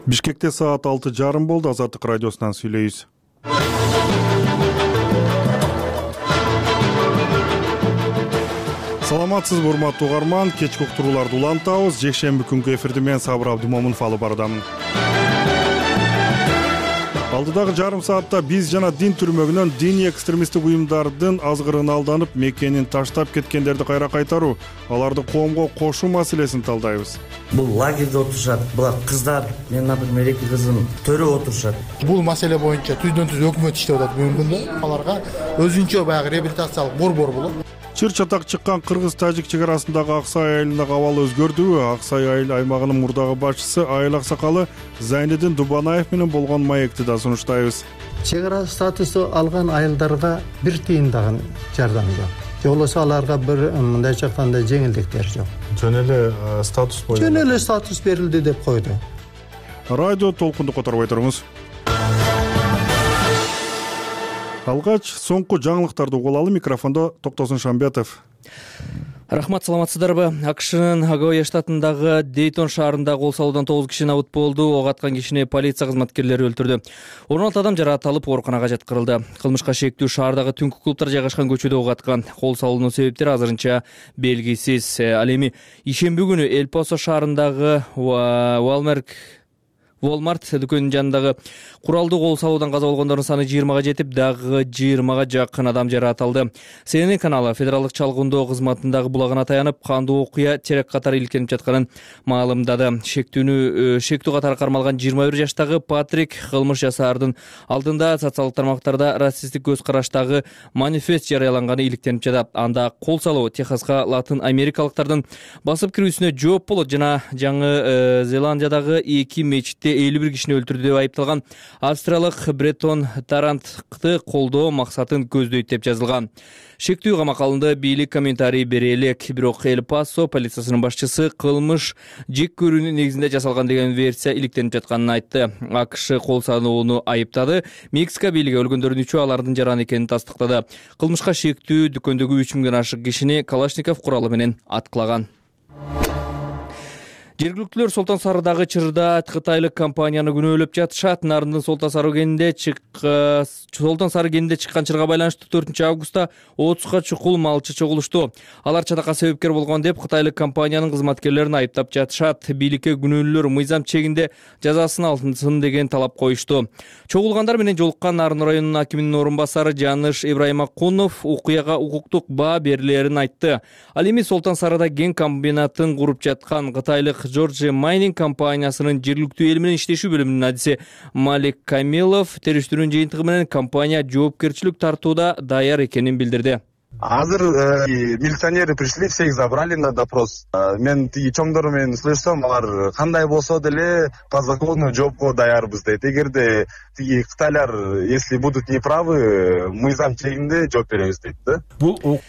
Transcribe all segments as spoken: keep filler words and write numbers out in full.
Бишкекте саат алты жарым болду. Азаттык радиосунан сүйлөйбүз. Саламатсызбы урматтуу угарман, кечки уктурууларды улантабыз. Жекшемби күнгү эфирди мен Сабыр Абдымомунов алып барадам. Алдыдагы жарым саатта биз жана дин түрмөгүнөн диний экстремисттик уюмдардын азгырына алданып, мекенин таштап кеткендерди кайра кайтаруу, аларды коомго кошуу маселесин талдайбыз. Бул лагерде отурушат, булар кыздар, мен, например, эки кызым төрө отурушат. Бул маселе боюнча түздөн түз өкмөт иштеп атат бүгүнкү күндө. Аларга өзүнчө баягы реабилитациялык борбор болот. Чыр чатак чыккан кыргыз-тажик чек арасындагы Аксай айылындагы абал өзгөрдүбү? Аксай айыл аймагынын мурдагы башчысы айыл аксакалы Зайнедин Дубанаев менен болгон маекти да сунуштайбыз. Чек ара статусу алган айылдарга бир тыйын дагы жардам жок. Жолосо аларга бир мындайча айтканда жеңилдиктер жок. Жөн эле статус боюнча. Жөн эле статус берилди деп койду. Радио толкунду которбой туруңуз. Алгач соңку жаңылыктарды угулалы. Микрофондо Токтосун Шамбетов. Рахмат, саламатсыздарбы? АКШнын Огайо штатындагы Дейтон шаарында кол салуудан тогуз киши набыт болду. Ок аткан кишини полиция кызматкерлери өлтүрдү. он алты адам жараатталып, ооруканага жаткырылды. Кылмышка шектүү шаардагы түнкү клубтар жайгашкан көчөдө ок аткан. Кол салуунун себептери азырынча белгисиз. Ал эми ишемби күнү Эль-Пасо шаарындагы Walmart Walmart дүкөнүнүн жанындагы куралдуу кол салуудан каза болгондордун саны жыйырмага жетип, дагы жыйырмага жакын адам жараат алды. Си Эн Эн каналы федералдык чалгындоо кызматындагы булагына таянып, кандуу окуя терек катары иликтенип жатканын маалымдады. Шектүүнү шектүү катары кармалган жыйырма бир жаштагы Патрик кылмыш жасаардын алдында социалдык тармактарда расисттик көз караштагы манифест жарыяланганы иликтенип жатат. Анда кол салуу Техаска латын америкалыктардын басып кирүүсүнө жооп болот жана Жаңы Зеландиядагы эки мечитте элүү бир кишини өлтүрдү деп айыпталган австриялык Бретон Тарантты колдоо максатын көздөйт деп жазылган. Шектүү камакка алынды. Бийлик комментарий бере элек. Бирок Эль-Пасо полициясынын башчысы кылмыш жек көрүүнүн негизинде жасалган деген версия иликтенип жатканын айтты. АКШ кол салууну айыптады. Мексика бийлиги өлгөндөрдүн үчөө алардын жаран экенин тастыктады. Кылмышка шектүү дүкөндөгү үч миңден ашык кишини Калашников куралы менен аткылаган. Жергиликтүүлөр Солтон Сарыдагы чырда кытайлык компанияны күнөөлөп жатышат. Нарындын Солтон Сары кенинде чыккан Солтон Сары кенинде чыккан чырга байланыштуу төртүнчү августта отузга чукул малчы чогулушту. Алар чатакка себепкер болгон деп кытайлык компаниянын кызматкерлерин айыптап жатышат. Бийликке күнөөлүүлөр мыйзам чегинде жазасын алынсын деген талап коюшту. Чогулгандар менен жолуккан Нарын районунун акиминин орун басары Жаныш Ибраимакунов окуяга укуктук баа берилерин айтты. Ал эми Солтон Сарыда кен комбинатын куруп жаткан кытайлык Georgia Mining компаниясынын жергиликтүү эл менен иштешүү бөлүмүнүн адиси Малик Камилов териштирүүнүн жыйынтыгы менен компания жоопкерчилик тартууда даяр экенин билдирди. Азыр милиционеры пришли, всех забрали на допрос. Мен тиги чоңдор менен слышсам, алар кандай болсо деле по закону жоопко даярбыз дейт. Эгерде тиги кытайлар если будут неправы, мыйзам чегинде жооп беребиз дейт да. Бул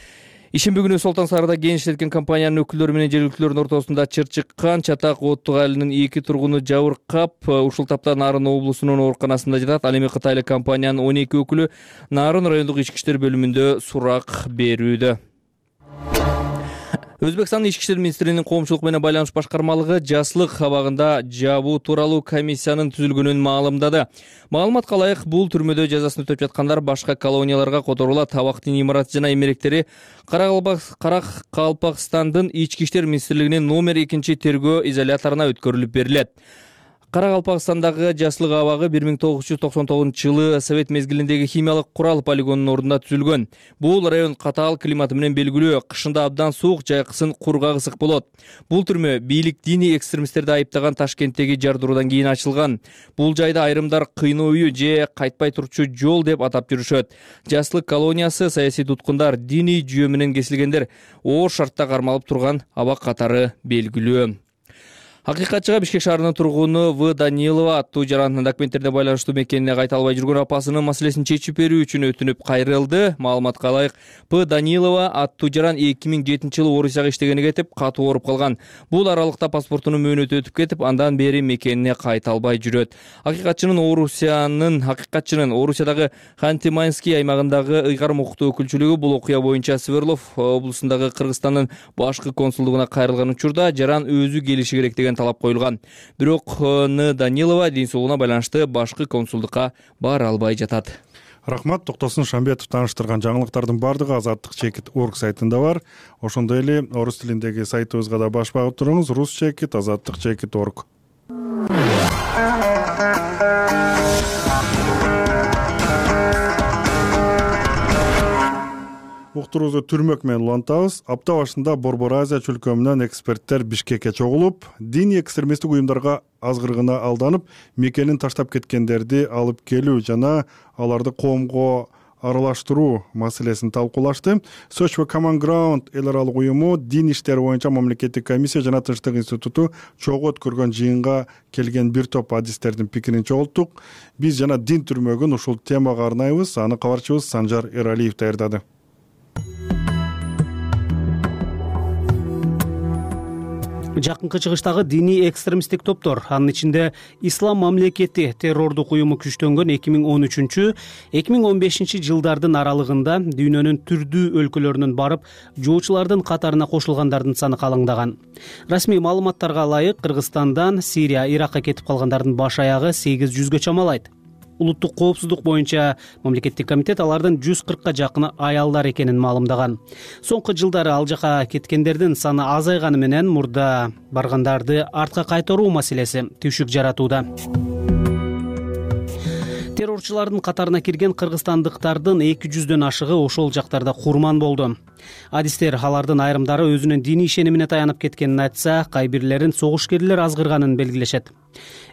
Ишемби күнү Солтон Сарыда кен иштеткен компаниянын өкүлдөрү менен жергиликтүүлөрдүн ортосунда чыр чыккан. Чатак Оттук айылынын эки тургуну жабыркап, ушул тапта Нарын облусунун ооруканасында жатат. Ал эми кытайлык компаниянын он эки өкүлү Нарын райондук ички иштер бөлүмүндө сурак берүүдө. Өзбекстандын ички иштер министринин коомчулук менен байланыш башкармалыгы жаслык абагында жабуу тууралуу комиссиянын түзүлгөнүн маалымдады. Маалыматка ылайык, бул түрмөдө жазасын өтөп жаткандар башка колонияларга которулат. Табактын имараты жана эмеректери Каракалпакстандын ички иштер министрлигинин номер экинчи тергөө изоляторуна өткөрүлүп берилет. Каракалпакстандагы жаслык абагы бир миң тогуз жүз токсон тогузунчу жылы совет мезгилиндеги химиялык курал полигонунун ордунда түзүлгөн. Бул район катаал климаты менен белгилүү. Кышында абдан суук, жайкысын кургак ысык болот. Бул түрмө бийлик диний экстремисттерди айыптаган Ташкенттеги жардыруудан кийин ачылган. Бул жайда айрымдар кыйноо үйү же кайтпай турчу жол деп атап жүрүшөт. Жаслык колониясы саясий туткундар, диний жүйө менен кесилгендер оор шартта кармалып турган абак катары белгилүү. Акыйкатчыга Бишкек шаарынын тургуну В. Данилова аттуу жарандын документтерине байланыштуу мекенине кайта албай жүргөн апасынын маселесин чечип берүү үчүн өтүнүп кайрылды. Маалыматка ылайык, П. Данилова аттуу жаран эки миң жетинчи жылы Орусияга иштегени кетип, катуу ооруп калган. Бул аралыкта паспортунун мөөнөтү өтүп кетип, андан бери мекенине кайта албай жүрөт. Акыйкатчынын Орусиянын Акыйкатчынын Орусиядагы Ханты-Мансийский аймагындагы ыйгарым укуктуу өкүлчүлүгү бул окуя боюнча Свердлов облусундагы Кыргызстандын башкы консулдугуна кайрылган учурда жаран өзү келиши керек деген деген талап коюлган. Бирок Н Данилова дин соолугуна байланыштуу башкы консулдукка бара албай жатат. Рахмат. Токтосун Шамбетов тааныштырган жаңылыктардын бардыгы азаттык чекит орг сайтында бар. Ошондой эле орус тилиндеги сайтыбызга да баш багып туруңуз. Рус чекит азаттык чекит орг. Уктуруубузду түрмөк менен улантабыз. Апта башында Борбор Азия чөлкөмүнөн эксперттер Бишкекке чогулуп, диний экстремисттик уюмдарга азгыргына алданып, мекенин таштап кеткендерди алып келүү жана аларды коомго аралаштыруу маселесин талкуулашты. Search for Common Ground эл аралык уюму дин иштери боюнча мамлекеттик комиссия жана Тынчтык институту чогуу өткөргөн жыйынга келген бир топ адистердин пикирин чогулттук. Биз жана дин түрмөгүн ушул темага арнайбыз. Аны кабарчыбыз Санжар Эралиев даярдады. Жакынкы чыгыштагы диний экстремисттик топтор, анын ичинде Ислам мамлекети террордук уюму күчтөнгөн эки миң он үчүнчү — эки миң он бешинчи жылдардын аралыгында дүйнөнүн түрдүү өлкөлөрүнөн барып, жоочулардын катарына кошулгандардын саны калыңдаган. Расмий маалыматтарга ылайык, Кыргызстандан Сирия, Иракка кетип калгандардын баш аягы сегиз жүзгө чамалайт. Улуттук коопсуздук боюнча мамлекеттик комитет алардын жүз кыркка жакыны аялдар экенин маалымдаган. Соңку жылдары ал жака кеткендердин саны азайганы менен мурда баргандарды артка кайтаруу маселеси түйшүк жаратууда. Террорчулардын катарына кирген кыргызстандыктардын эки жүздөн ашыгы ошол жактарда курман болду. Адистер алардын айрымдары өзүнүн диний ишенимине таянып кеткенин айтса, кайбирлерин согушкерлер азгырганын белгилешет.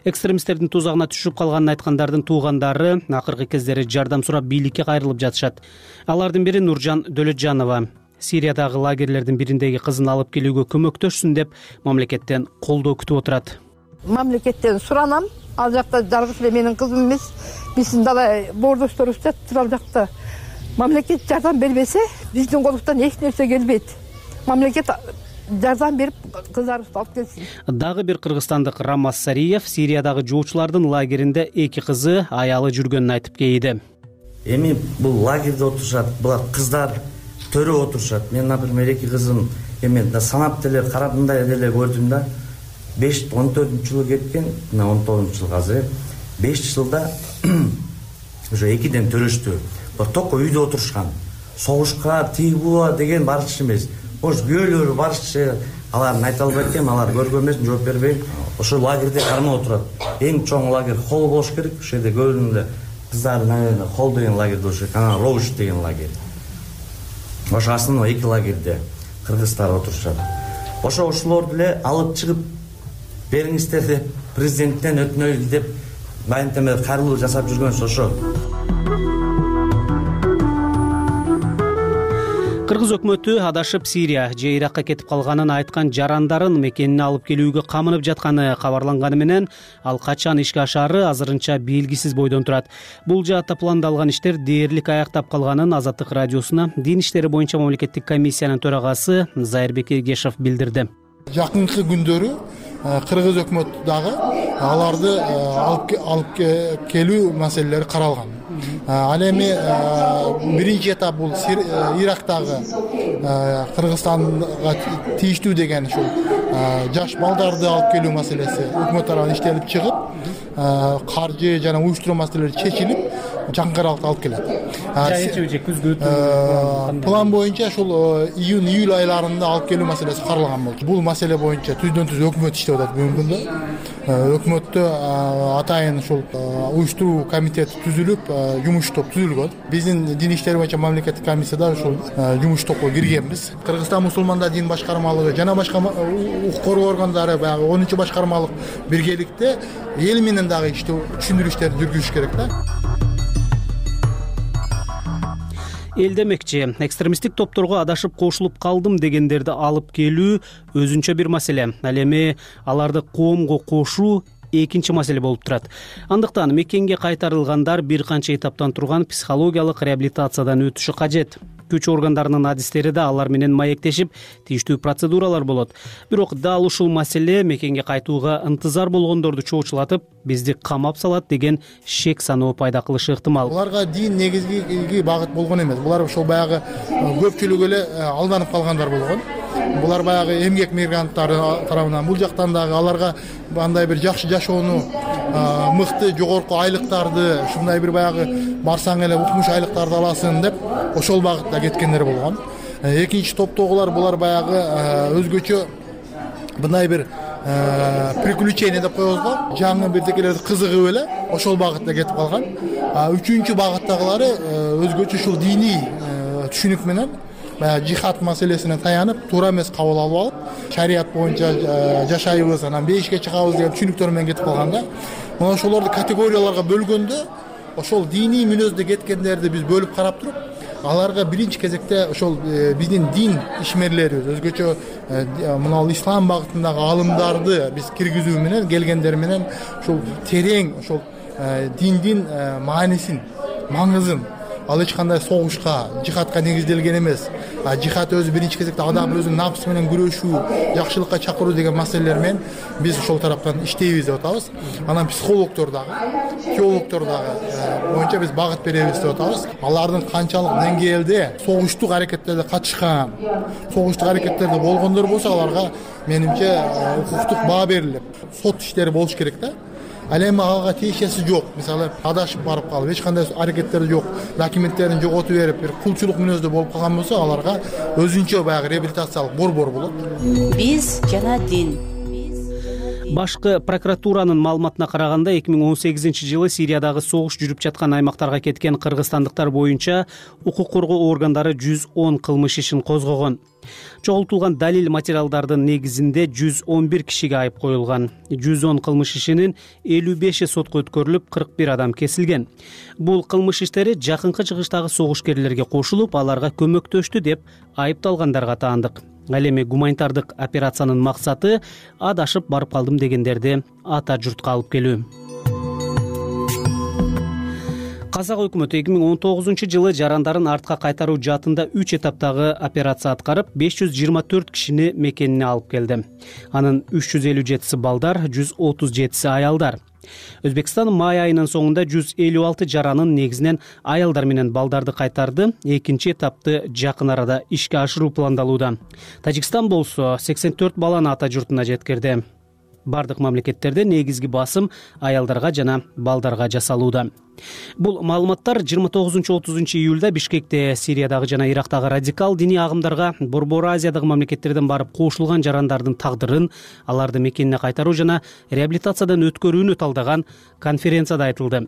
Экстремисттердин тузагына түшүп калганын айткандардын туугандары акыркы кездери жардам сурап бийликке кайрылып жатышат. Алардын бири Нуржан Дөлөтжанова. Сириядагы лагерлердин бириндеги кызын алып келүүгө көмөктөшсүн деп мамлекеттен колдоо күтүп отурат. Мамлекеттен суранам. Ал жакта жалгыз эле менин кызым эмес, биздин дала боордошторубуз жатыр ал жакта. Мамлекет жардам бербесе, биздин колубуздан эч нерсе келбейт. Мамлекет жардам берип кыздарыбызды алып келсин. Дагы бир кыргызстандык Рамаз Сариев Сириядагы жоочулардын лагеринде эки кызы, аялы жүргөнүн айтып кейиди. Эми бул лагерде отурушат, булар кыздар төрө отурушат. Мен, например, эки кызым эми санап деле карабындай деле көрдүм да. беш он төртүнчү жылы кеткен, мына он тогузунчу жыл азыр. беш жылда уже экиден төрөштү. Токко үйдө отурушкан. Согушка, тыйбуа деген барчы эмес. Ош күйөөлөрү барчы, алардын айта албайт экен, алар көргөн эмес, жооп бербейм. Ошо лагерде кармап отурат. Эң чоң лагерь Холл болуш керек. Ошол жерде көбүнө кыздардын, наверное, Холл деген лагерде болуш керек, анан Роуш деген лагерь. Ошо основной эки лагерде кыргыздар отурушат. Ошо ошолорду эле алып чыгып бериңиздер деп президенттен өтүнөйүз деп байынтеме кайрылуу жасап жүргөнсү ошо. Кыргыз өкмөтү адашып Сирия же Иракка кетип калганын айткан жарандарын мекенине алып келүүгө камынып жатканы кабарланганы менен ал качан ишке ашаары азырынча белгисиз бойдон турат. Бул жаатта пландалган иштер дээрлик аяктап калганын Азаттык радиосуна дин иштери боюнча мамлекеттик комиссиянын төрагасы Зайырбек Эгешев билдирди. Жакынкы күндөрү Кыргыз өкмөтү дагы аларды алып келүү маселелери каралган. Ал эми биринчи этап бул Ирактагы Кыргызстанга тийиштүү деген ушул жаш балдарды алып келүү маселеси өкмөт тарабынан иштелип чыгып, каржы жана уюштуруу маселелери чечилип, жакынкы аралыкта алып келет. Жайынча же күзгү план боюнча ушул июнь июль айларында алып келүү маселеси каралган болчу. Бул маселе боюнча түздөн түз өкмөт иштеп атат бүгүнкү күндө. Өкмөттө атайын ушул уюштуруу комитети түзүлүп, жумуш топ түзүлгөн. Биздин дин иштери боюнча мамлекеттик комиссияда ушул жумуш топко киргенбиз. Кыргызстан мусулмандар дин башкармалыгы жана башка укук коргоо органдары баягы онунчу башкармалык биргеликте эл менен дагы иштөө түшүндүрүү иштерин жүргүзүш керек да. Эл демекчи, экстремисттик топторго адашып кошулуп калдым дегендерди алып келүү өзүнчө бир маселе. Ал эми аларды коомго кошуу экинчи маселе болуп турат. Андыктан мекенге кайтарылгандар бир канча этаптан турган психологиялык реабилитациядан өтүшү кажет. Күч органдарынын адистери да алар менен маектешип, тийиштүү процедуралар болот. Бирок дал ушул маселе мекенге кайтууга ынтызар болгондорду чоочулатып, бизди камап салат деген шек саноо пайда кылышы ыктымал. Буларга дин негизги багыт болгон эмес. Булар ошол баягы көпчүлүгү эле алданып калгандар болгон. булар баягы эмгек мигранттары тарабынан, бул жактан дагы аларга андай бир жакшы жашоону, мыкты жогорку айлыктарды, ушундай бир баягы барсаң эле укмуш айлыктарды аласың деп ошол багытта кеткендер болгон. Экинчи топтогулар булар баягы өзгөчө мындай бир приключение деп коебуз го, жаңы бирдекелерди кызыгып эле ошол багытта кетип калган. Үчүнчү багыттагылары өзгөчө ушул диний түшүнүк менен баягы жихад маселесине таянып, туура эмес кабыл алып алып, шарият боюнча жашайбыз, анан бейишке чыгабыз деген түшүнүктөр менен кетип калганда, мына ошолорду категорияларга бөлгөндө, ошол диний мүнөздө кеткендерди биз бөлүп карап туруп, аларга биринчи кезекте ошол биздин дин ишмерлерибиз, өзгөчө мына ислам багытындагы алымдарды биз киргизүү менен, келгендер менен ошол терең ошол диндин маанисин, маңызын, ал эч кандай согушка, жихадка негизделген эмес. Жихад өзү биринчи кезекте адам өзүнүн напсы менен күрөшүү, жакшылыкка чакыруу деген маселелер менен биз ошол тараптан иштейбиз деп атабыз. Анан психологдор дагы, теологдор дагы боюнча биз багыт беребиз деп атабыз. Алардын канчалык деңгээлде согуштук аракеттерде катышкан, согуштук аракеттерде болгондор болсо, аларга менимче укуктук баа берилип, сот иштери болуш керек да. Ал эми ага тиешеси жок. Мисалы, адашып барып калып, эч кандай аракеттери жок, документтерин жоготуп берип, бир кулчулук мүнөздө болуп калган болсо, аларга өзүнчө баягы реабилитациялык борбор болот. Биз жана дин. Башкы прокуратуранын маалыматына караганда, эки миң он сегизинчи жылы Сириядагы согуш жүрүп жаткан аймактарга кеткен кыргызстандыктар боюнча укук коргоо органдары жүз он кылмыш ишин козгогон. Чогултулган далил материалдардын негизинде жүз он бир кишиге айып коюлган. жүз он кылмыш ишинин элүү беши сотко өткөрүлүп, кырк бир адам кесилген. Бул кылмыш иштери жакынкы чыгыштагы согушкерлерге кошулуп, аларга көмөктөштү деп айыпталгандарга таандык. Ал эми гуманитардык операциянын максаты адашып барып калдым дегендерди ата журтка алып келүү. Казак өкмөтү эки миң он тогузунчу жылы жарандарын артка кайтаруу жаатында үч этаптагы операция аткарып, беш жүз жыйырма төрт кишини мекенине алып келди. Анын үч жүз элүү жетиси балдар, жүз отуз жетиси аялдар. Өзбекстан май айынын соңунда жүз элүү алты жаранын, негизинен аялдар менен балдарды кайтарды. Экинчи этапты жакын арада ишке ашыруу пландалууда. Тажикстан болсо сексен төрт баланы ата журтуна жеткирди. Бардык мамлекеттерде негизги басым аялдарга жана балдарга жасалууда. Бул маалыматтар жыйырма тогузунчу отузунчу июлда Бишкекте Сириядагы жана Ирактагы радикал диний агымдарга Борбор Азиядагы мамлекеттерден барып кошулган жарандардын тагдырын, аларды мекенине кайтаруу жана реабилитациядан өткөрүүнү талдаган конференцияда айтылды.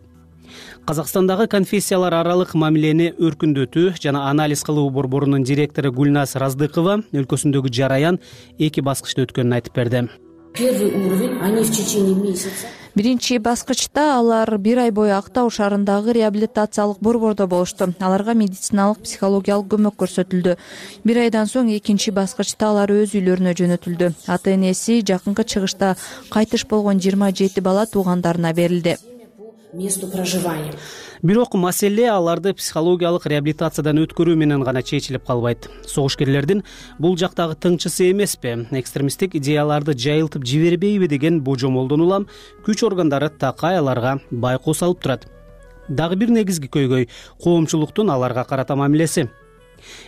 Казакстандагы конфессиялар аралык мамилени өркүндөтүү жана анализ кылуу борборунун директору Гүлназ Раздыкова өлкөсүндөгү жараян эки баскычта өткөнүн айтып берди. Первый уровень они в течение месяца. Биринчи баскычта алар бир ай бою Актау шаарындагы реабилитациялык борбордо болушту. Аларга медициналык, психологиялык көмөк көрсөтүлдү. Бир айдан соң экинчи баскычта алар өз үйлөрүнө жөнөтүлдү. Ата энеси жакынкы чыгышта кайтыш болгон жыйырма жети бала туугандарына берилди. Месту проживания. Бирок маселе аларды психологиялык реабилитациядан өткөрүү менен гана чечилип калбайт. Согушкерлердин бул жактагы тыңчысы эмеспи, экстремисттик идеяларды жайылтып жибербейби деген божомолдон улам күч органдары такай аларга байкоо салып турат. Дагы бир негизги көйгөй коомчулуктун аларга карата мамилеси.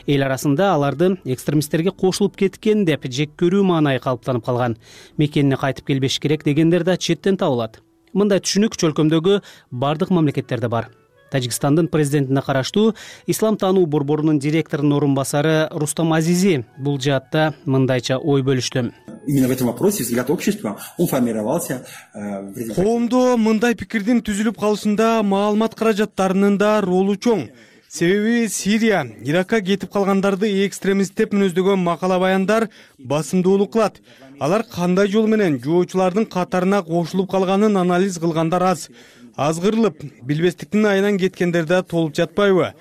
Эл арасында аларды экстремисттерге кошулуп кеткен деп жек көрүү маанайы калыптанып калган. Мекенине кайтып келбеш керек дегендер да четтен табылат. Мындай түшүнүк чөлкөмдөгү бардык мамлекеттерде бар. Тажикстандын президентине караштуу Ислам таануу борборунун директорунун орун басары Рустам Азизи бул жаатта мындайча ой бөлүштү. Именно в этом вопросе взгляд общества он формировался. Коомдо мындай пикирдин түзүлүп калышында маалымат каражаттарынын да ролу чоң. Себеби Сирия, Иракка кетип калгандарды экстремист деп мүнөздөгөн макала баяндар басымдуулук кылат. Алар кандай жол менен жоочулардын катарына кошулуп калганын анализ кылгандар аз. Азгырылып, билбестиктин айынан кеткендер да толуп жатпайбы?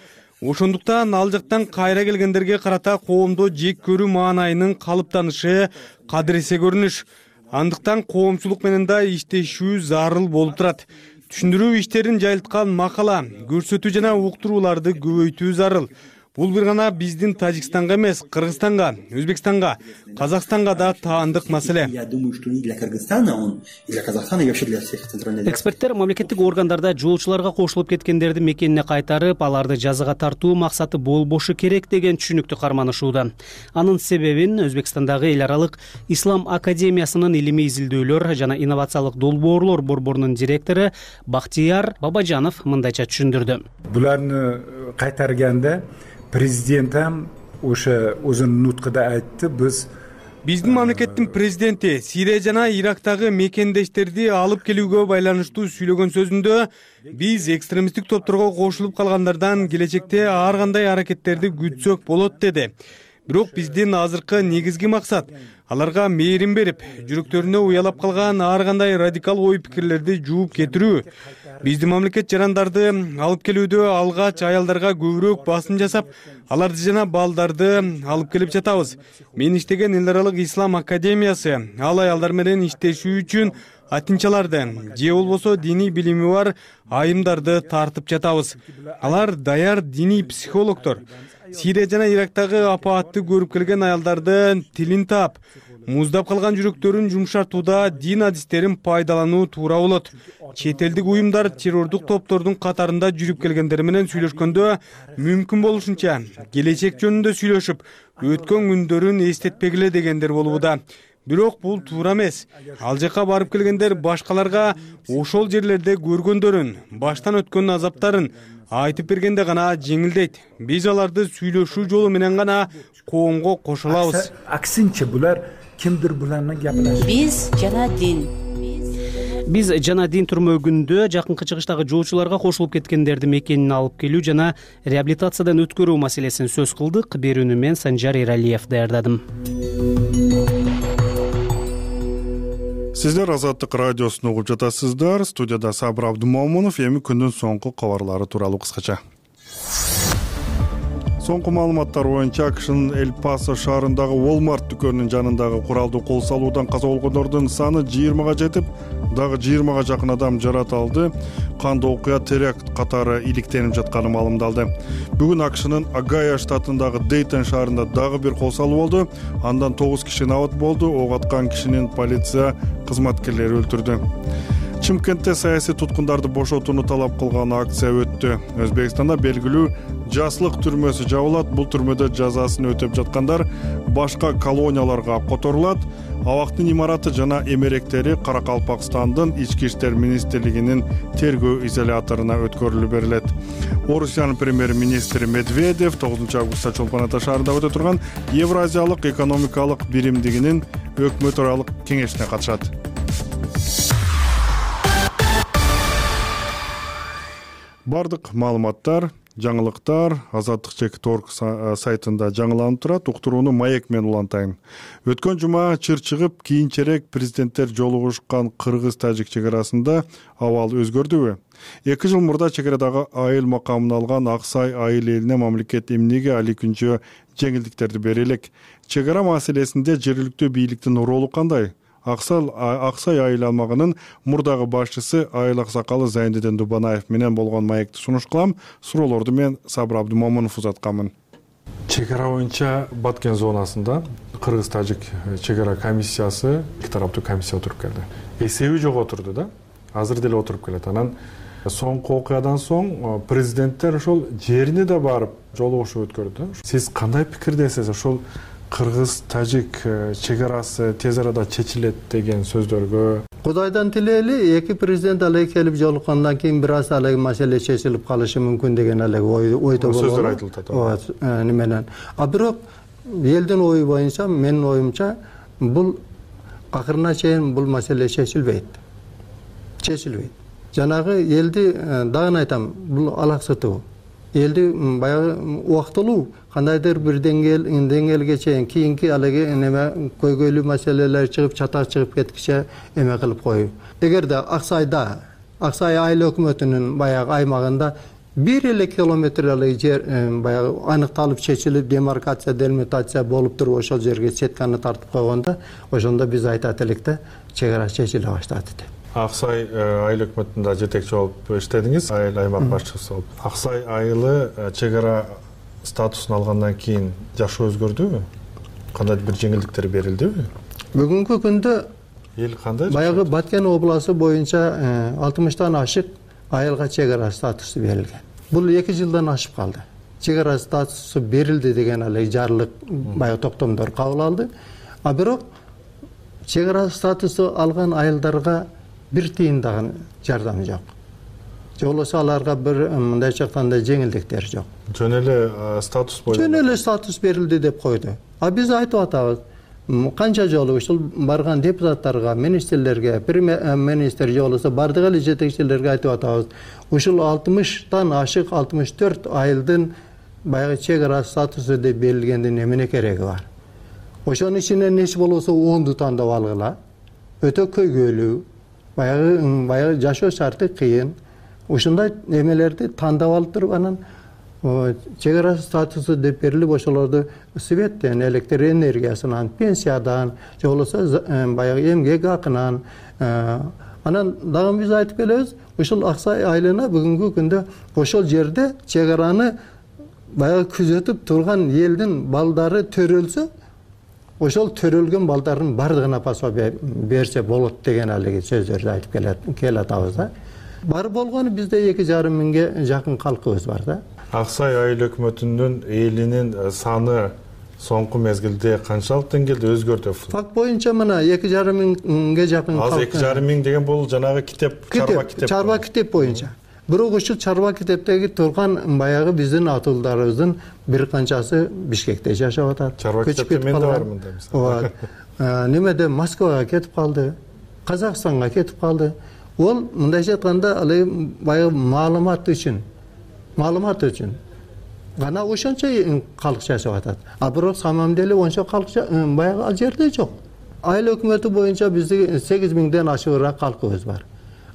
Ошондуктан ал жактан кайра келгендерге карата коомдо жек көрүү маанайынын калыптанышы кадыресе көрүнүш. Андыктан коомчулук менен да иштешүү зарыл болуп турат. Түшүндүрүү иштерин жайылткан макала, көрсөтүү жана уктурууларды көбөйтүү зарыл. бул бир гана биздин Тажикстанга эмес, Кыргызстанга, Өзбекстанга, Казакстанга да таандык маселе. Я думаю, что и для Кыргызстана он, и для Казахстана, и вообще для всех центральных. Эксперттер мамлекеттик органдарда жолчуларга кошулуп кеткендерди мекенине кайтарып, аларды жазага тартуу максаты болбошу керек деген түшүнүктү карманышууда. Анын себебин Өзбекстандагы эл аралык Ислам академиясынын илимий изилдөөлөр жана инновациялык долбоорлор борборунун директору Бактияр Бабажанов мындайча түшүндүрдү. Буларны кайтарганда президент ham o'sha o'zining nutqida aytdi, biz биздин мамлекеттин президенти Сирия жана Ирактагы мекендештерди алып келүүгө байланыштуу сүйлөгөн сөзүндө биз экстремисттик топторго кошулуп калгандардан келечекте ар кандай аракеттерди күтсөк болот деди. Бирок биздин азыркы негизги максат аларга мээрим берип, жүрөктөрүнө уялап калган ар кандай радикал ой пикирлерди жууп кетирүү. Биздин мамлекет жарандарды алып келүүдө алгач аялдарга көбүрөөк басым жасап, аларды жана балдарды алып келип жатабыз. Мен иштеген эл аралык Ислам академиясы ал аялдар менен иштешүү үчүн атинчаларды же болбосо диний билими бар айымдарды тартып жатабыз. Алар даяр диний психологдор. Сирия жана Ирактагы апаатты көрүп келген аялдардын тилин таап, муздап калган жүрөктөрүн жумшартууда дин адистерин пайдалануу туура болот. Чет элдик уюмдар террордук топтордун катарында жүрүп келгендер менен сүйлөшкөндө мүмкүн болушунча келечек жөнүндө сүйлөшүп, өткөн күндөрүн эстетпегиле дегендер болууда. Бирок бул туура эмес. Ал жака барып келгендер башкаларга ошол жерлерде көргөндөрүн, баштан өткөн азаптарын айтып бергенде гана жеңилдейт. Биз аларды сүйлөшүү жолу менен гана коомго кошо алабыз. Аксинче булар кимдир буларны гапылашат. Биз жана дин. Биз жана дин түрмөгүндө жакынкы чыгыштагы жолчуларга кошулуп кеткендерди мекенине алып келүү жана реабилитациядан өткөрүү маселесин сөз кылдык. Берүүнү мен Санжар Эралиев даярдадым. Сиздер Азаттык радиосун угуп жатасыздар. Студияда Сабыр Абдумомунов. Эми күндүн соңку кабарлары тууралуу кыскача. Соңку маалыматтар боюнча АКШнын Эль-Пасо шаарындагы Walmart дүкөнүнүн жанындагы куралдуу кол салуудан каза болгондордун саны жыйырмага жетип, дагы жыйырмага жакын адам жарат алды. Кандуу окуя теракт катары иликтенип жатканы маалымдалды. Бүгүн АКШнын Огайо штатындагы Дейтон шаарында дагы бир кол салуу болду. Андан тогуз киши набат болду. Ок аткан кишинин полиция кызматкерлери өлтүрдү. Чымкентте саясий туткундарды бошотууну талап кылган акция өттү. Өзбекстанда белгилүү жаслык түрмөсү жабылат. Бул түрмөдө жазасын өтөп жаткандар башка колонияларга которулат. Абактын имараты жана эмеректери Каракалпакстандын ички иштер министрлигинин тергөө изоляторуна өткөрүлүп берилет. Орусиянын премьер-министри Медведев тогузунчу августта Чолпон Ата шаарында өтө турган Евразиялык экономикалык биримдигинин өкмөт аралык кеңешине катышат. Бардык маалыматтар, жаңылыктар азаттык чек точка орг сайтында жаңыланып турат. Уктурууну маек менен улантайын. Өткөн жума чыр чыгып, кийинчерээк президенттер жолугушкан кыргыз-тажик чек арасында абал өзгөрдүбү? эки жыл мурда чек арадагы айыл макамын алган Аксай айыл элине мамлекет эмнеге али күнчө жеңилдиктерди бере элек? Чек ара маселесинде жергиликтүү бийликтин ролу кандай? Аксай айыл аймагынын мурдагы башчысы Айыл Аксакалы Зайниден Дубанаев менен болгон маекти сунуш кылам. Суроолорду мен Сабыр Абдумомунов узатканмын. Чек ара боюнча Баткен зонасында Кыргыз-Тажик чек ара комиссиясы эки тараптуу комиссия отуруп келди. Эсеби жок отурду да. Азыр деле отуруп келет. Анан соңку окуядан соң президенттер ошол жерине да барып жолугушуу өткөрдү. Сиз кандай пикирдесиз? Ошол Кыргыз-Тажик чек арасы тез арада чечилет деген сөздөргө? Кудайдан тилейли, эки президент алай келип жолуккандан кийин бир аз алай маселе чечилип калышы мүмкүн деген алай ойдо болот. Сөздөр айтылып атат. Ооба, неменен. А бирок элдин ою боюнча, менин оюмча, бул акырына чейин бул маселе чечилбейт. Чечилбейт. Жанагы элди дагы айтам, бул алаксытуу. Элди баягы убактылуу кандайдыр бир деңгээл деңгээлге чейин кийинки алеге неме көйгөйлүү маселелер чыгып чатак чыгып кеткиче эме кылып коюу. Эгерде Аксайда, Аксай айыл өкмөтүнүн баягы аймагында бир эле километр алай жер баягы аныкталып чечилип демаркация, делимитация болуп туруп ошол жерге сетканы тартып койгондо, ошондо биз айтат элек да, чек ара чечиле баштады деп. Аксай айыл өкмөтүндө жетекчи болуп иштедиңиз, айыл аймак башчысы болуп. Аксай айылы чек ара статусун алгандан кийин жашоо өзгөрдүбү? Кандайдыр бир жеңилдиктер берилдиби? Бүгүнкү күндө эл кандай? Баягы Баткен областы боюнча алтымыштан ашык айылга чек ара статусу берилген. Бул эки жылдан ашып калды. Чек ара статусу берилди деген эле жарлык баягы токтомдор кабыл алды. А бирок чек ара статусу алган айылдарга бир тыйын дагы жардам жок. Же болбосо аларга бир мындайча айтканда жеңилдиктер жок. Жөн эле статус боюнча. Жөн эле статус берилди деп койду. А биз айтып атабыз, канча жолу ушул барган депутаттарга, министрлерге, премьер-министр же болбосо бардык эле жетекчилерге айтып атабыз. Ушул алтымыштан ашык алтымыш төрт айылдын баягы чек ара статусу деп берилгендин эмне кереги бар? Ошонун ичинен эч болбосо онду тандап алгыла. Өтө көйгөйлүү, баягы баягы жашоо шарты кыйын. Ушундай эмелерди тандап алып туруп анан чек ара статусу деп берилип ошолорду светтен, электр энергиясынан, пенсиядан, же болбосо баягы эмгек акынан, анан дагы биз айтып келебиз, ушул Аксай айылына бүгүнкү күндө ошол жерде чек араны баягы күзөтүп турган элдин балдары төрөлсө, ошол төрөлгөн балдардын бардыгына пособие берсе болот деген алиги сөздөрдү айтып келатабыз да. Бар болгону бизде эки жарым миңге жакын калкыбыз бар да. Аксай айыл өкмөтүнүн элинин саны соңку мезгилде канчалык деңгээлде өзгөрдү? Факт боюнча мына эки жарым миңге жакын калк. Азыр эки жарым миң деген бул жанагы китеп, чарба китеп. Чарба китеп боюнча. Бирок ушул чарба китептеги турган баягы биздин атуулдарыбыздын бир канчасы Бишкекте жашап атат. Чарба китепте мен да бармын да мисалы. Немеде Москвага кетип калды, Казакстанга кетип калды. Ол мындайча айтканда ал баягы маалымат үчүн, маалымат үчүн гана ошончо калк жашап атат. А бирок самам деле ончо калк баягы ал жерде жок. Айыл өкмөтү боюнча биздин сегиз миңден ашыгыраак калкыбыз бар.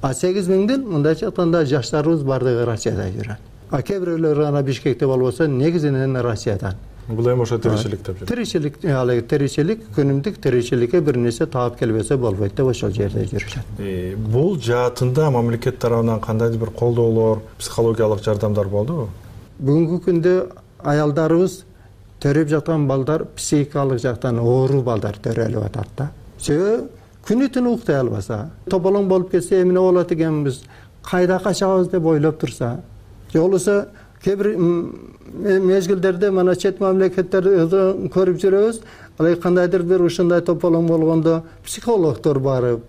А сегиз миңден мындайча айтканда жаштарыбыз бардыгы Россияда жүрөт. А кээ бирөөлөр гана Бишкекте болбосо негизинен Россиядан. Бул эми ошо тиричилик деп жүрөт. Тиричилик, ал тиричилик, күнүмдүк тиричиликке бир нерсе таап келбесе болбойт деп ошол жерде жүрүшөт. Бул жаатында мамлекет тарабынан кандайдыр бир колдоолор, психологиялык жардамдар болдубу? Бүгүнкү күндө аялдарыбыз төрөп жаткан балдар психикалык жактан оору балдар төрөлүп атат да. Себеби күнү түнү уктай албаса, тополоң болуп кетсе эмне болот экенбиз, кайда качабыз деп ойлоп турса, же болбосо кээ бир мезгилдерде мына чет мамлекеттерди көрүп жүрөбүз, ал кандайдыр бир ушундай тополоң болгондо психологдор барып,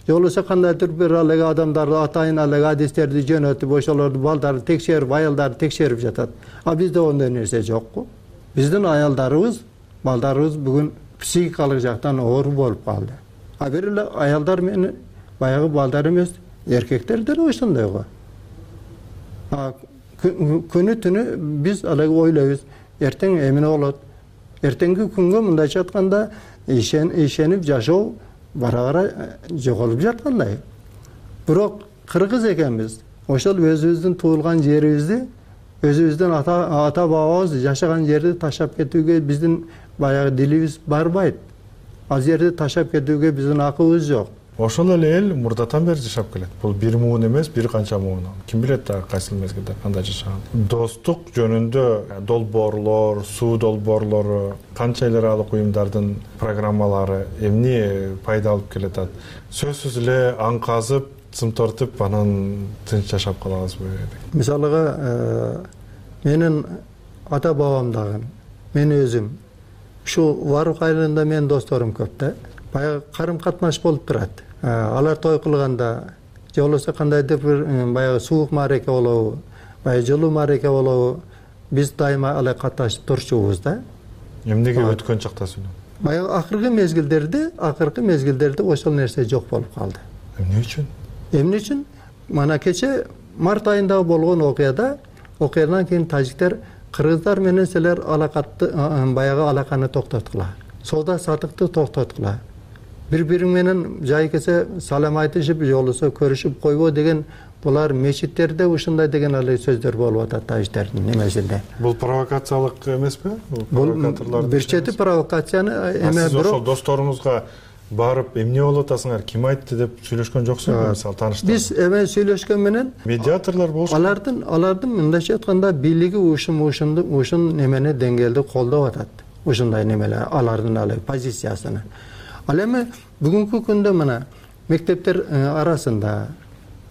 же болбосо кандайдыр бир ал адамдарды атайын ал адистерди жөнөтүп, ошолорду балдарды текшерип, аялдарды текшерип жатат. А бизде ондой нерсе жокку. Биздин аялдарыбыз, балдарыбыз бүгүн психикалык жактан оору болуп калды. А бир эле аялдар менен баягы балдар эмес, эркектер деле ошондой го. Күнү түнү биз алай ойлойбуз, эртең эмне болот? Эртеңки күнгө мындайча айтканда ишенип жашоо бара-бара жоголуп жаткандай. Бирок кыргыз экенбиз. Ошол өзүбүздүн туулган жерибизди, өзүбүздүн ата бабабыз жашаган жерди таштап кетүүгө биздин баягы дилибиз барбайт. Ал жерди таштап кетүүгө биздин акыбыз жок. Ошол эле эл мурдатан бери жашап келет. Бул бир муун эмес, бир канча муун. Ким билет да кайсы мезгилде кандай жашаган. Достук жөнүндө долбоорлор, суу долбоорлору, канча эл аралык уюмдардын программалары эмне пайда алып келатат? Сөзсүз эле аң казып, цым тартып, анан тынч жашап калабызбы? Мисалыга, менин ата бабам дагы, мен өзүм ушу Варук айылында менин досторум көп да. Баягы карым катнаш болуп турат. Алар той кылганда, же болбосо кандайдыр бир баягы суук маареке болобу, баягы жылуу маареке болобу, биз дайыма алай катнашып турчубуз да. Эмнеге өткөн чакта сүйлөп? Баягы акыркы мезгилдерде, акыркы мезгилдерде ошол нерсе жок болуп калды. Эмне үчүн? Эмне үчүн? Мана кече март айында болгон окуяда, окуядан кийин тажиктер кыргыздар менен силер алакатты баягы алаканы токтоткула. Соода сатыкты токтоткула. Бири-бириң менен жай кесе салам айтышып, же болбосо көрүшүп койбо деген булар мечиттерде ушундай деген эле сөздөр болуп атат тажиктердин немесинде. Бул провокациялык эмеспи? Бул провокаторлор. Бир чети провокацияны эме бирок ошол досторуңузга барып эмне болуп атасыңар, ким айтты деп сүйлөшкөн жоксуңарбы мисалы тааныштар? Биз эме сүйлөшкөн менен медиаторлор болуш. Алардын алардын мындайча айтканда бийлиги ушун ушунду ушун немени деңгээлде колдоп атат. Ушундай немелер алардын алай позициясыны. Ал эми бүгүнкү күндө мына мектептер арасында,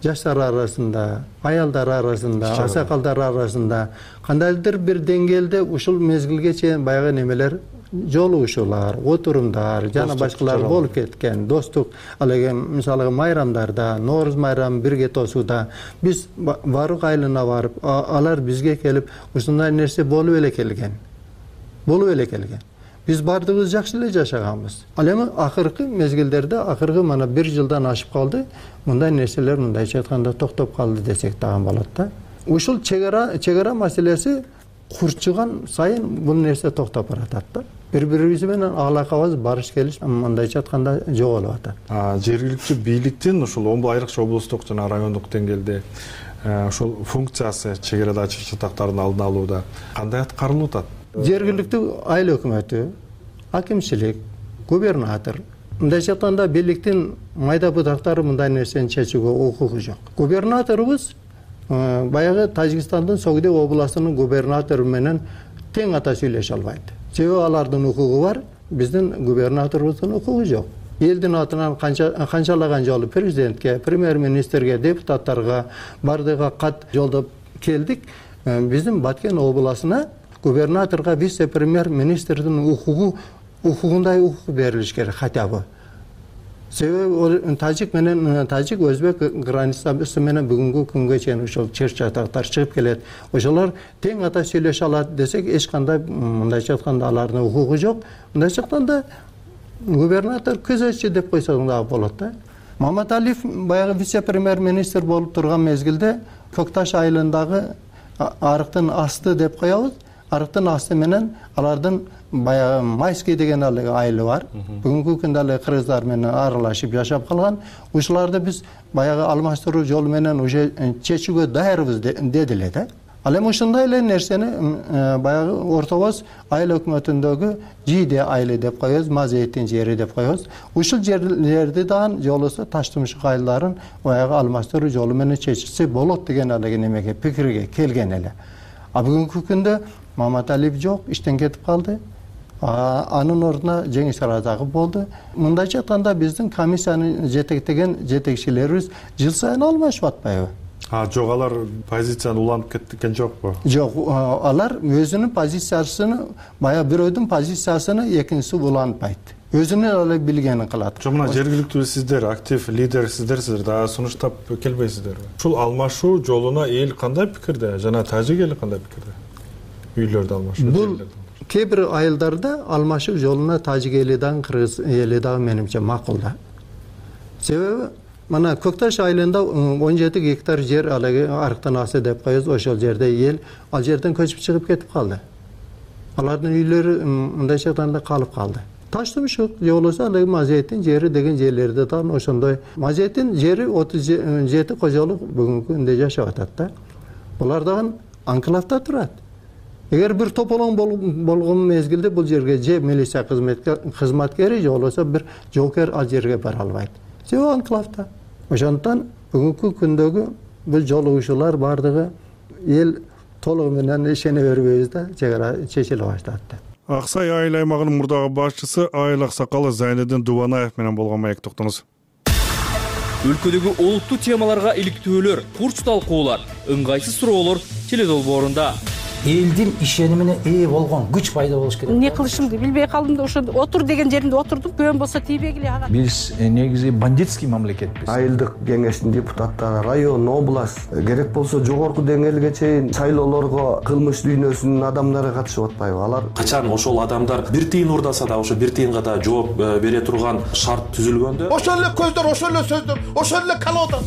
жаштар арасында, аялдар арасында, аксакалдар арасында кандайдыр бир деңгээлде ушул мезгилге чейин баягы немелер жолугушуулар, отурумдар жана башкалар болуп кеткен. Достук ал эми мисалы майрамдарда, Нооруз майрамын бирге тосууда биз баары айылына барып, алар бизге келип ушундай нерсе болуп эле келген. Болуп эле келген. Биз бардыгыбыз жакшы эле жашаганбыз. Ал эми акыркы мезгилдерде, акыркы мана бир жылдан ашып калды, мындай нерселер мындайча айтканда токтоп калды десек дагы болот да. Ушул чегара чегара маселеси курчуган сайын бул нерсе токтоп баратат да. Бири-бирибиз менен алакабыз барыш келиш мындайча айтканда жоголуп атат. Жергиликтүү бийликтин ушул айрыкча облустук жана райондук деңгээлде ушул функциясы чегерада ачык чатактардын алдын алууда кандай аткарылып атат? Жергиликтүү айыл өкмөтү, акимчилик, губернатор мындайча айтканда бийликтин майда бутактары мындай нерсени чечүүгө укугу жок. Губернаторубуз баягы Тажикстандын Согдек областынын губернатору менен тең ата сүйлөшө албайт. Себеби алардын укугу бар, биздин губернаторубуздун укугу жок. Элдин атынан канча канчалаган жолу президентке, премьер-министрге, депутаттарга бардыгы кат жолдоп келдик. Биздин Баткен областына губернаторга вице-премьер-министрдин укугу укугундай укук берилиш керек хотя бы. Себеби тажик менен тажик өзбек границасы менен бүгүнкү күнгө чейин ошол чыр чатактар чыгып келет. Ошолор тең ата сүйлөшө алат десек, эч кандай мындайча айтканда алардын укугу жок. Мындайча айтканда губернатор күзөтчү деп койсоң дагы болот да. Маматалиев баягы вице-премьер-министр болуп турган мезгилде Көкташ айылындагы арыктын асты деп коебуз. Арыктын асты менен алардын баягы Майский деген айылы бар. Бүгүнкү күндө эле кыргыздар менен аралашып жашап калган. Ушуларды биз баягы алмаштыруу жолу менен уже чечүүгө даярбыз деди эле да. Ал эми ушундай эле нерсени баягы Ортобоз айыл өкмөтүндөгү Жийде айылы деп коебуз, Мазейттин жери деп коебуз. Ушул жерлерди дагы жолусу Таштымшык айылдарын баягы алмаштыруу жолу менен чечилсе болот деген эле немеге пикирге келген эле. А бүгүнкү күндө Маматалиев жок, иштен кетип калды. Анын ордуна Жеңиш Аразаков болду. Мындайча айтканда биздин комиссияны жетектеген жетекчилерибиз жыл сайын алмашып атпайбы? А жок, алар позицияны уланып кеткен жокпу? Жок, алар өзүнүн позициясын, баягы бирөөдүн позициясын экинчиси улантпайт. Өзүнүн эле билгенин кылат. Жок, мына жергиликтүү сиздер, актив лидер сиздерсиздер, дагы сунуштап келбейсиздерби? Ушул алмашуу жолуна эл кандай пикирде, жана тажик эли кандай пикирде? Үйлөрдү алмашуу. Бул кээ бир айылдарда алмашуу жолуна тажик эли дагы, кыргыз эли дагы менимче макул да. Себеби мына Көкташ айылында он жети гектар жер алеги арыктын асы деп коебуз, ошол жерде эл ал жерден көчүп чыгып кетип калды. Алардын үйлөрү мындайча айтканда калып калды. Таштымшык же болбосо алеги Мазейттин жери деген жерлерде дагы ошондой. Мазейттин жери отуз жети кожолук бүгүнкү күндө жашап атат да. Булар дагы анклавда турат. Эгер бир тополоң болгон мезгилде бул жерге же милиция кызматкери же болбосо бир жоокер ал жерге бара албайт. Себеби анклавда. Ошондуктан бүгүнкү күндөгү бул жолугушуулар бардыгы эл толугу менен ишене бербейбиз да, чегара чечиле баштады. Аксай айыл аймагынын мурдагы башчысы айыл аксакалы Зайнедин Дубанаев менен болгон маек токтоңуз. Өлкөдөгү олуттуу темаларга иликтөөлөр, курч талкуулар, ыңгайсыз суроолор теледолбоорунда. Элдин ишенимине ээ болгон күч пайда болуш керек. Эмне кылышымды билбей калдым да, ошо отур деген жеримде отурдум, көбөн болсо тийбегиле ага. Биз негизи бандитский мамлекетпиз. Айылдык кеңештин депутаттары, район, область, керек болсо жогорку деңгээлге чейин шайлоолорго кылмыш дүйнөсүнүн адамдары катышып атпайбы? Алар качан ошол адамдар бир тыйын урдаса да ошо бир тыйынга да жооп бере турган шарт түзүлгөндө, ошол эле көздөр, ошол эле сөздөр, ошол эле колода.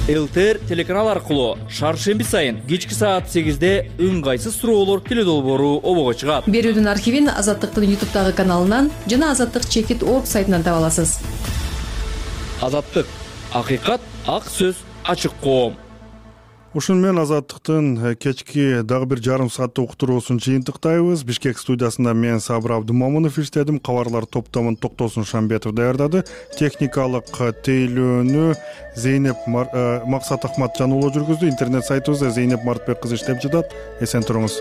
ЛТР телеканал аркылуу шаршемби сайын кечки саат сегизде ыңгайсыз суроолор теледолбоору обого чыгат. Берүүдүн архивин Азаттыктын ютубтагы каналынан жана Азаттык чекит точка орг сайтынан таба аласыз. Азаттык, акыйкат, ак сөз, ачык коом. ушуну менен Азаттыктын кечки дагы бир жарым сааттык уктуруусун жыйынтыктайбыз. Бишкек студиясында мен Сабыр Абдымомунов иштедим. Кабарлар топтомун Токтосун Шамбетов даярдады. Техникалык тейлөөнү Зейнеп Максат Ахматжан уулу жүргүздү. Интернет сайтыбызда Зейнеп Мартбек кызы иштеп жатат. Эсен туруңуз.